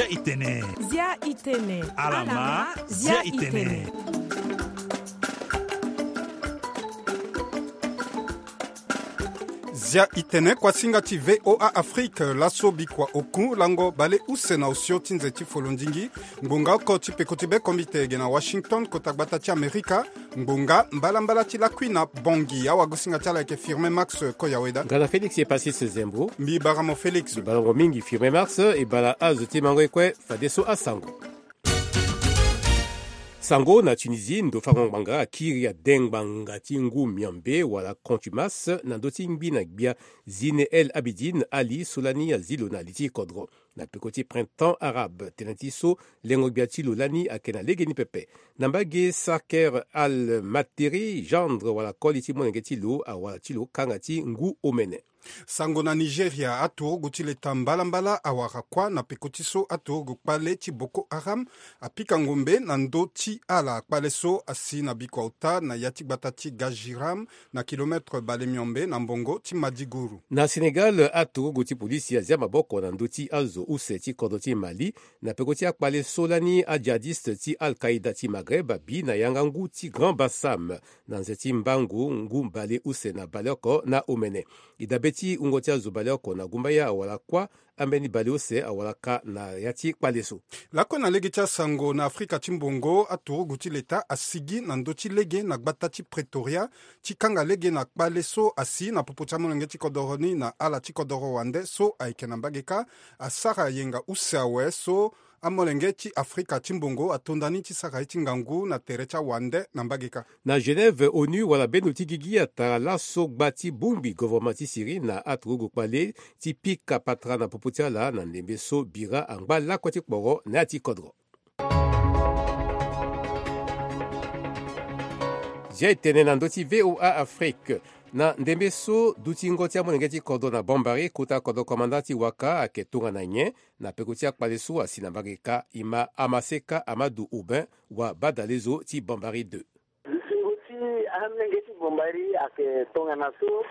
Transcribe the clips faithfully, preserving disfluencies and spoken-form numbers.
Itene. Zia itene. Alama. Zia itene. Zia itene kuasinga ti VOA Afrique, laso bikua oku lango bale use na osio ti nze ti folondingi. Ngbonga oko ti peko ti be komite ge na Washington, kota gbata ti Amerika. Ngbonga mbalambala ti lakui na Bongi, awagosinga ti ala ayeke Firmin Max Koyaweda. Nga na Félix Epasis Zembo. Mbi bara mo Félix. Mbi bara mo mingi Firmin Max, e bara azo ti mango ye kue, fadeso asango. Sango na Tunisie, ndo fango ngbanga akiri ade ngbanga ti ngu miombe wala contumace na ndö ti ngbi na gbia Zine El Abidine Ali so lani azi lo na li ti kodro. Na peko ti printemps arabe, tënë ti so lengo gbia ti lo lani ayeke na legeni pepe. Na mbage Saker Al Materi, gendre wala koli ti molenge ti lo awara ti lo kanga ti ngu omene. Sango na Nigeria, aturugu ti leta mbalambala awara kuâ na peko ti so aturugu kpale ti Boko Haram apika ngombe na ndö ti ala. Kpale so asi na bikua ota na ya ti gbata ti Gajiram, na kilometre bale miombe na mbongo ti Madiguru. Na Sénégal, aturugu ti polisi azia maboko na ndö ti azo use ti kodro ti Mali na peko ti akpale so lani ajihadiste ti Al-Qaïda ti Maghreb abi na yanga ngu ti Grand Bassam na nze ti mbangu ngu bale use na baleoko na omene. E dabe ti wungo ti azo baleoko na gumbaya awara kuâ, ambeni baleuse awara ka na ya ti kpale so. Lakue na lege ti asango, na Afrika ti mbongo, aturugu ti leta asigi na ndö ti lege na gbata ti Pretoria ti kanga lege na kpale so asi na popo ti amolenge ti kodoro ni na ala ti kodoro wande so ayeke na mbage kâ, asara yenga use awe so amolenge ti Afrika ti mbongo atonda ni ti sara ye ti ngangu na tere ti awande na mbage kâ. Na Genève, onu wala bendo ti gigi atara laso gba ti bongbi govoroma ti Syrie na aturugu kpale ti pika patara na popo ti ala na ndembe so bira angba lakue ti kporo na ya ti kodro. Zia e tene na ndö ti VOA Afrique. Na ndembe so dutingo ti amolenge ti kodro na Bambari, kota kodro komanda ti waka ayeke tongana nyen na peko ti akpale so asi na mbage kâ? E ma Amaseka Amadou Aubin, wa badalezo ti Bambari deux. Lusingo ti amolenge ti Bambari ayeke tongana so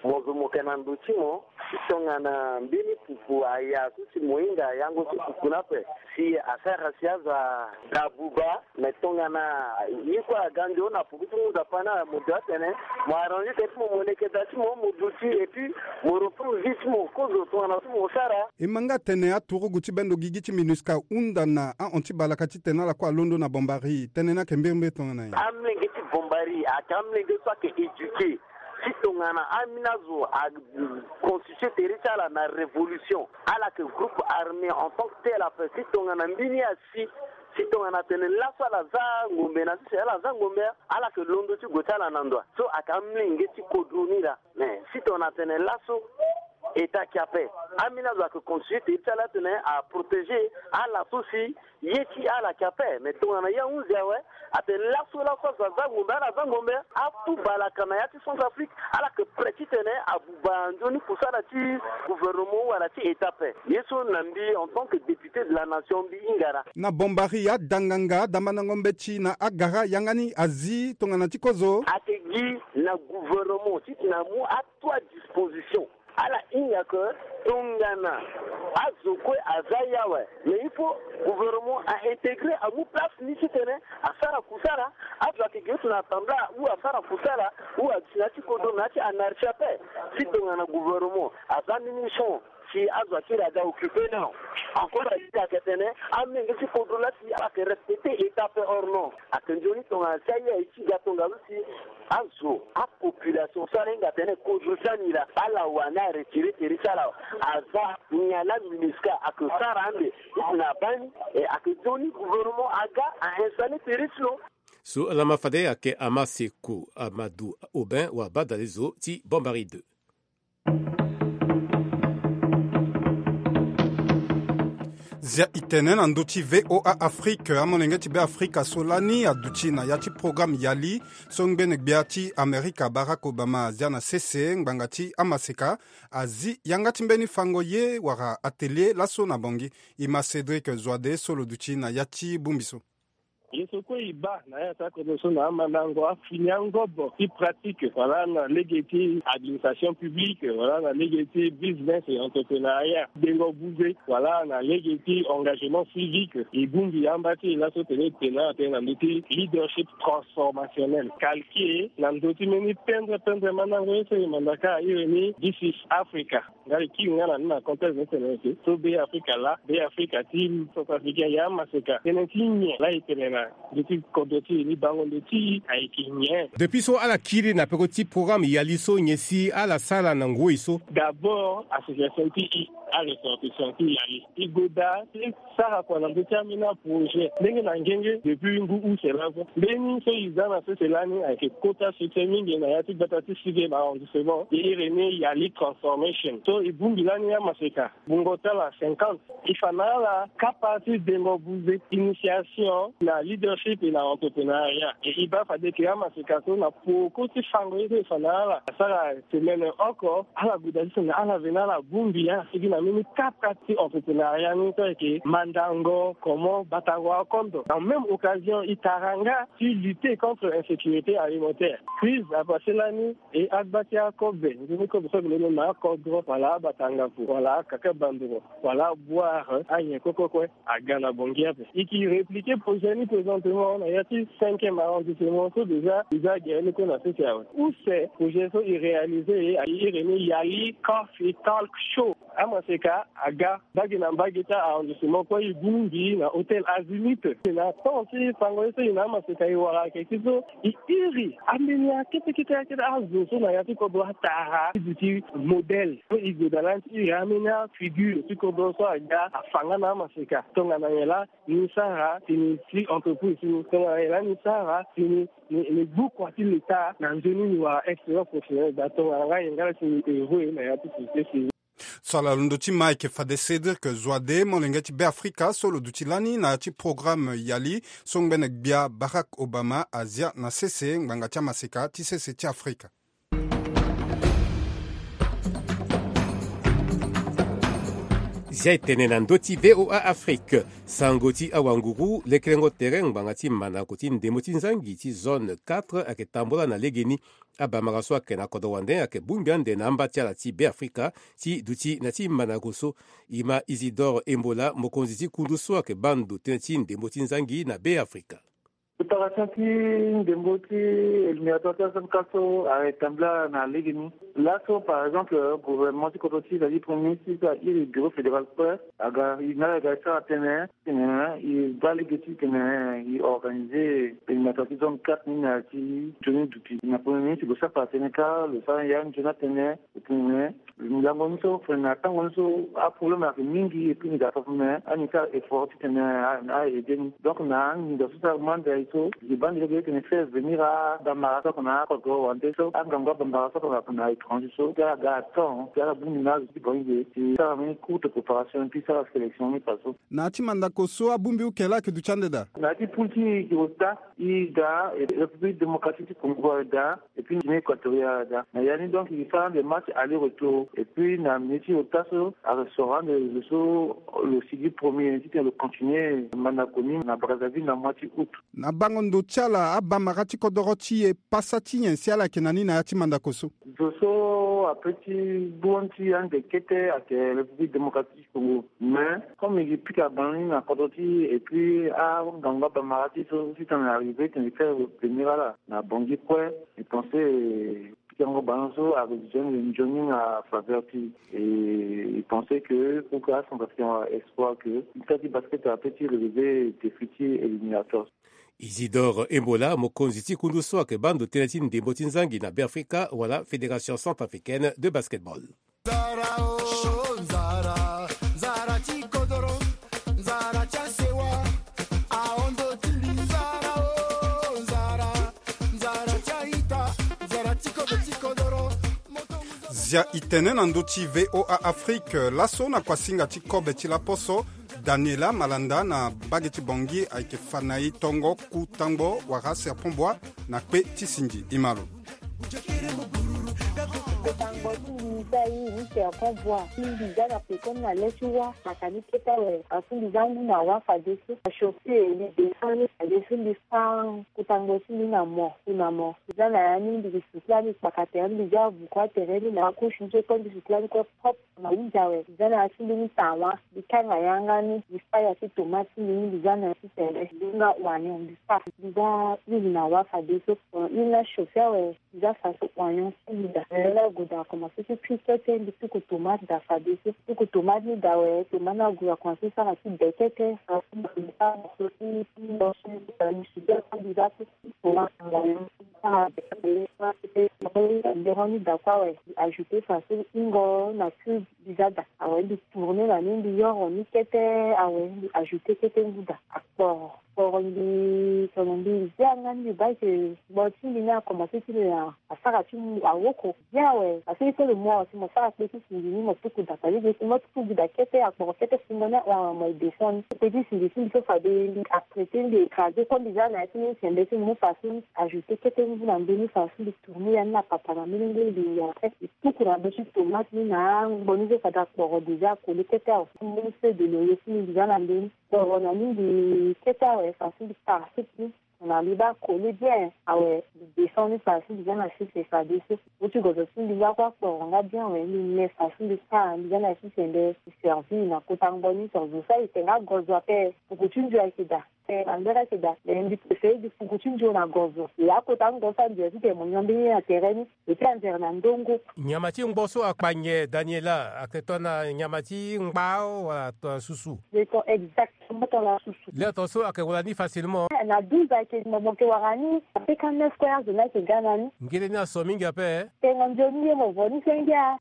mo zo mo yeke na ndo ti mo, ti tongana mbeni pupu aya so si mo hinga yango ti pupu ni ape, si asara si azo ada buba. Me tongana ye kue aga ndio na puku ti ngu nzapa ni, mo dua atene mo arranger tene ti mo, mo leke da ti mo, mo duti, et puis mo reprendre vie ti mo kozo tongana so mo sara. E ma nga tene aturugu ti bendo gigi ti MINUSCA ahunda na ahon ti balaka titene ala kue alondo na Bambari. Tënë ni ayeke mbirimbiri tongana nyen? Amolenge ti Bambari ayeke amolenge so ayeke éduqué. Si tongana ambeni azo aconstitué tere ti ala na révolution, ala yeke groupe armé en tant que tel ape. Si tongana mbeni asi, si tongana atene laso ala za ngombe, na sese ala za ngombe, ala yeke londo ti gue ti ala na ndo. So ayeke amolenge ti kodro ni laa. Mais si tongana atene laso, État ayeke ape. Ambeni azo ayeke constitué tere ti ala atene aprotégé ala so si ye ti ala ayeke ape. Mais tongana ye ahunzi awe, atene laso laso azo aza ngombe, ala aza ngombe. Atu balaka na ya ti Centrafrique, ala yeke prêt titene abuba nzoni kusala ti gouvernement wala ti État ape. Ye so na mbi en tant que député de la nation, mbi hinga laa. Na Bambari, ada nganga, ada mandango mbeti na agara, yanga ni azi tongana ti kozo. Ayeke gi na gouvernement titene amu atu adisposition. Ala hinga ke tongana azo kue aza ye awe, mais il faut gouvernement a intégré, amu place ni titene asara kusala. Azo ayeke gi ti na assemblée ou asara kusala, ou aduti na ya ti kodro na ya ti anarchie ape. Si tongana gouvernement aza mbeni champ si azo akiri aga occupé ni awe, encore akiri ayeke tene amolenge ti kodro laa si ala yeke respecté État ape or non. Ayeke nzoni tongana si aye aye ti ga tongaso si azo, apopulation so ala hinga atene kodro ti ani laa, ala wani aretiré tere ti ala. Aza nyen laa MINUSCA ayeke sara ande ti tene abaa ni? E ayeke nzoni gouvernement aga a installé tere ti lo. So ala ma fade ayeke Amaseko Amadou Aubin, wa badalezo ti Bambari deux. Zia e tene na ndö ti VOA Afrique, amolenge ti Beafrika so lani aduti na ya ti programme Yali so ngbene gbia ti Amerika Barack Obama azia na sese ngbanga ti amaseka, azi yanga ti mbeni fango ye wala atelier laso na Bangui. E ma Cédric Zoide so lo duti na ya ti bongbi so. Ye so kue e baa na ya ti akodro so na amandango afini angobo ti pratique, wala na lege ti administration publique, wala na lege ti business et entrepreneuriat, dengo buze, wala na lege ti engagement civique. E bongbi amba ti e laso tene e tene na tene na ndö ti leadership transformationnel, calqué na ndö ti mbeni pendre pendre mandango ye so e mandaka iri ni This is Africa. Nga e kiri nga na ni na contexte ni tene ete so Be Afrika laa, Be Afrika ti Centrafricain ya amaseka tënë ti nyen laa e tene na ndö ti kodro ti e ni, bango ndo ti e ayeke nyen? Depuis so ala kiri na peko ti programme Yali so, nyen si ala sara na ngoi so? D'abord association ti e, aressortissant ti Yali, e gue daa ti sara kua na ndö ti ambeni aprojet ndenge na ngenge depuis ngu use laso. Mbeni so e za na sese lani ayeke kota succès mingi na ya ti gbata ti sixième arrondissement, e iri ni Yali Transformation. So e bongbi lani amaseka bungo ti ala cinquante. E fa na ala kapa ti dengo buze, initiation na leadership na entrepreneuriat. E e baa fade ke amaseka so na poko ti fango ye so e fa na ala asara semaine oko, ala gue daa ti tene ala veni ala bongbi ala sigi na mbeni kapa ti entrepreneuriat ni so ayeke mandango comment batango akondo. En même occasion e tara nga ti lutter contre insécurité alimentaire. Crise apassé lani, e agba ti akobe, nzoni kobe so ayeke londo na akodro wala abatangafu wala akaka bandoro wala aboire anyen kue kue kue aga na Bangui ape. E ke répliquer projet ni présentement na ya ti cinquième arrondissement so déjà e za gere ni kue na sese awe. Use projet so e réaliser e iri ni Yali Coffee Talk Show. Amaseka aga mbage na mbage ti arrondissement kue, e bongbi na hôtel Azimut. Na temps ti fango ye so e na amaseka e wara ayeke ti so e iri ambeni akete kete akete azo so na ya ti kodro atara ti duti modèle so e gue daa lani ti iri ambeni afigure ti kodro so aga afa nga na amaseka. Tongana nyen laa ni sara tini ti entreprise ni, tongana nyen laa ni sara tini ni, ni gbu kua ti leta na nzoni ni wala expérience professionnelle daa, tongana nga nyen nga laa tini héros na ya ti société civile. So ala londo ti ma ayeke fade Cédric Zoide, molenge ti Be Afrika so lo duti lani na ya ti programme Yali so ngbene gbia Barack Obama azia na sese ngbanga ti amaseka ti sese ti Afrika. Zia e tene na ndö ti V O A Afrique, sango ti awanguru, lekerengo tere ngbanga ti mandako ti ndembo ti nzangi ti zone quatre ayeke tambula na legeni. Abamara so ayeke na kodro wande ayeke bongbi ande na amba ti ala ti Be Afrika ti duti na ti mandako so. E ma Isidore Embola, mokonzi ti kundu so ayeke baa ndo tënë ti ndembo ti nzangi na Be Afrika. Préparation ti ndembo ti éliminatoire ti A S M K so ayeke tambula na legeni. Laso par exemple gouvernement ti kodro ti e, c'est-à-dire premier ministre ti e so airi bureau fédéral kue aga, e na ala aga e sara tënë, tene e baa lege ti tene e organiser éliminatoire ti zone quatre ni na ya ti nzoni duti. Na premier ministre lo sara tënë kâ, lo sara ya nzoni atënë. Tene ngangu ni so, tene na tango ni so aproblème ayeke mingi, et puis ni ga fa tene ani sara effort ti tene a, a aider ni. Donc na anginza so sara manda e so, e baa ni lege tene faire venir abamara so ayeke na akodro wande so, angangu abamara so ayeke na étranger so, ti ala ga à temps, ti ala bongbi na azo ti bangi ge, ti sara mbeni courte préparation, et puis sara sélection ni faso. Na ya ti mandako so abongbi uke laa ayeke duti ande daa? Na ya ti poule ti e, e daa, e daa, e République démocratique ti Congo aye daa, et puis Guinée équatoriale aye daa. Na ya ni donc e sara ande match aller retour, et puis na minute ti ota so ayeke soro ande lo so lo sigi premier titene lo continuer mandako ni na Brazzaville na mois ti août. Na bango ndo ti ala, abamara ti kodoro ti e, pasa ti nyen si ala yeke na ni na ya ti mandako so? Zo so ape ti gbu ti ande kete ayeke République démocratique Congo. Mais comme e pika bango ni na kodro ti e, et puis angangu abamara ti e so titene arrivé tene e faire venir ala na Bangui kue, e pense pikango bango so ayeke nzoni, nzoni na faveur ti e. E pense que pour que acentrafricain wara espoir que ita ti basket ape ti relever défi ti éliminatoire. Isidore Embola, mokonzi ti kundu so ayeke baa ndo tënë ti ndembo ti nzangi na Beafrika wala Fédération centrafricaine de basketball. Nzara o, nzara, nzara ti kodoro, nzara ti asewa, ahondo ti mbi, nzara o, nzara, nzara ti aita, nzara ti kodo ti kodoro. Zia e tene na ndö ti V O A Afrique, laso na kuasinga ti kobe ti laposo, Daniela Malanda na mbage ti Bangui ayeke fa na e tongo ku tangbo wala serpent bois na kpe ti singi. E ma lo. Tango ti mbi za ye ni serpent bois ti mbi za na pekoni na le ti wa. Kaka ni kete awe afu mbi za ngu na wa fadeso. Achaussé ni descend ni fadeso mbi fa. Kutango ti mbi na mo ku na mo mbi za na ya ni mbi sukula ni kpaka tere mbi za vuku atere ni na akushi ni so kue mbi sukula ni kue propre. Na uza awe mbi za na ya ti mbi ni tawa mbi kanga yanga ni mbi fa ya ti tomate ti mbi ni mbi za na ya ti tene mbi nga oignon mbi fa. Mbi za huile na wa fadeso huile na chauffer awe. Mbi za faso oignon ti mbi da. Mbi la goda akomanse ti kui kete mbi tuku tomate da fadeso tuku tomate ni da awe tomate ni agoda akomanse sara ti be kete. Faso mbi sa na so ti ti mbi za ti tomate oignon ti sara be kete. Mbi rend ni da kue awe mbi ajouter faso ingo na cube. Mbi za da awe mbi tourner na ni mbi yoro ni kete. Awe mbi ajouter kete ngu da akporo. Kporo mbi tono mbi zia nga ni mbi baa ke. Gbo ti mbi ni akomanse ti lo ya asara ti mu awoko. Bien awe parce que il faut le moi aussi mo sara kpe ti singi ni mo tuku da kpa lege si mo tuku gi da kete akporo kete singo ni ahon awe mo e descend ni kpe ti singi ti mbi so fade mbi atraiter mbi écraser so mbi za na ya ti ni sembe ti mbi mu faso ni ajouter kete ngu na mbeni faso mbi tourner ya ni na papa na mbeni ngu mbi ya en fait mbi tuku na ndo ti tomate ni na angbo ni so fade akporo déjà akoli kete awe mbeni feu de loyer ti mbi mbi za na mbeni. Kporo na ni mbi kete awe faso mbi tara supu ni. Na mbi baa koli bien awe mbi descend ni faso mbi za na sese fadeso. Mo ti gozo ti mbi nga kue akporo nga bien awe mbi me faso mbi tara mbi za na sese mbe mbi servir na kota ngbo ni so zo so ayeke nga gozo ape. Puku ti nzoni ayeke daa. Te na mbeni ayeke daa mais mbi préféré mbi puku ti nzoni na gozo. E akota ngbo so anzere ti tene mo nyon mbeni ye na tere ni. Eti anzere na ndongo. Nyama ti ngbo so akpa nyen Daniela ayeke tongana nyama ti ngba wala tongana susu? Exactement tongana susu. Lê ato so ayeke wara ni facilement. Na douze ayeke mo mo yeke wara ni. Apeka neuf square zo ni ayeke ga na ni. Ngele ni aso mingi ape. Tengo nzoni ye mo vo ni senge a.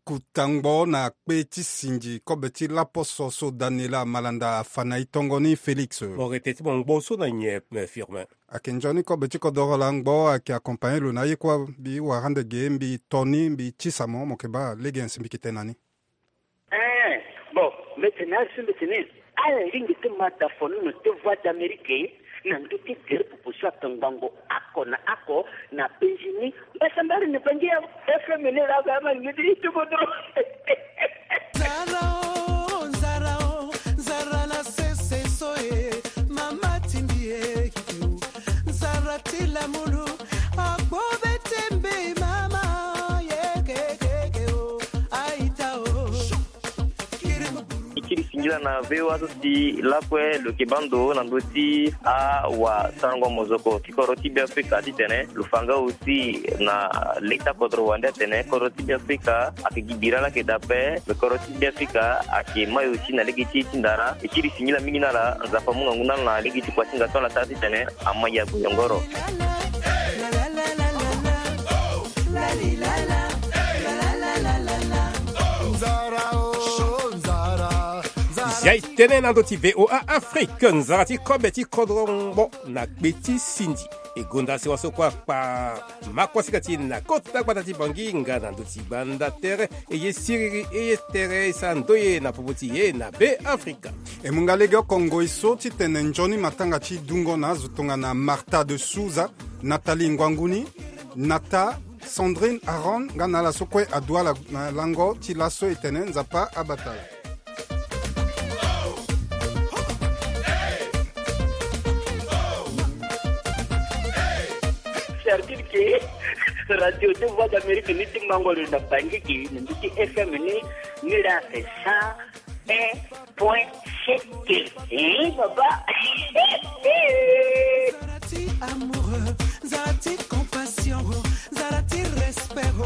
Kutangbo na kpe ti singi kobe ti laposo so Daniela Malanda afa na e tongo ni Félix. Mo rete ti mo ngbo so na nyen Firmin? Ayeke nzoni kobe ti kodoro la ngbo ayeke accompagné lo na aye kue. Mbi wara ande ge mbi to ni mbi tisa mo mo yeke baa lege nsi mbi yeke tene na ni. Eh, bon, mbi tene asi mbi tene. Ala lingbi ti ma da fonono ti Voix d'Amérique na ndö ti gere popo so atongbango ako na ako na penzi ni. Mbasambari na bangi ya F M ni la ba ma ngidi ti kodro. Nzara o, nzara o, nzara na sese so e, mama ti mbi e. Nzara ti lamulu, akpo be ti mbi mama, ye ke ke ke o, aita o. E kiri singila na V O A so si lakue lo yeke baa ndo na ndö ti awasarango mozoko ti kodro ti Beafrika titene lo fa nga aussi na leta kodro wande atene kodro ti Beafrika ayeke gi bira laa ayeke daa ape. Me kodro ti Beafrika ayeke mayo ti na lege ti e ti ndara. E kiri singila mingi na ala, Nzapa amu ngangu na ala na lege ti kuasinga so ala sara titene ama ya gboyongoro. Zia e tënë na ndö ti V O A Afrique, nzara ti kobe ti kodro ngbo na kpe ti sindi. E gonda sewa so kue akpa makuasinga ti e na kota gbata ti Bangui nga na ndö ti gbanda tere. E ye siriri e ye tere e sara ndoye na popo ti e na Beafrika. E mu nga lege oko ngoi so titene nzoni matanga ti dungo na azo tongana Martha de Souza, Nathalie Ngwanguni, Nata, Sandrine Aaron nga na ala so kue adu ala na lango ti laso e tene Nzapa abata ala. Sardine ke radio ti Voix d'Amérique ni ti mango lo na Bangui ke na ndö ti F M ni. Ni la asa un point sept. Eh, papa. Nzara ti amour, nzara ti compassion, nzara ti respect,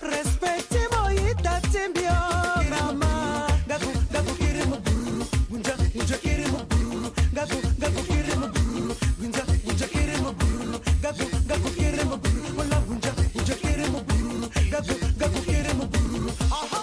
respect ti mo yita ti mbi o, mama. Gabu, gabu kiri mo bururu, gunja, gunja kiri mo bururu, gabu, gabu kiri mo bururu, gunja, gunja kiri mo bururu, gabu, gabu kiri mo bururu, wala gunja, gunja kiri mo bururu, gabu, gabu kiri mo bururu. Aha.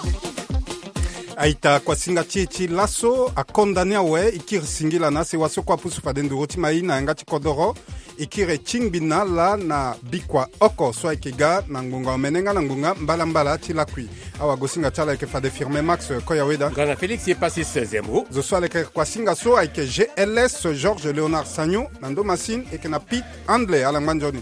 Aita kuasinga ti e ti laso akonda ni awe e kiri singila na asewa so kue apusu fade nduru ti mai na yanga ti kodoro. E kiri e tingbi na ala na bikua oko so ayeke ga na ngbonga omene nga na ngbonga mbalambala ti lakui. Awagosinga ti ala ayeke fade Firmin Max Koyaweda nga na Félix Epasis Zembo. Zo so ala yeke kuasinga so ayeke G L S Georges Léonard Sagnon na ndo masine e yeke na Pete Handley ala ngba nzoni.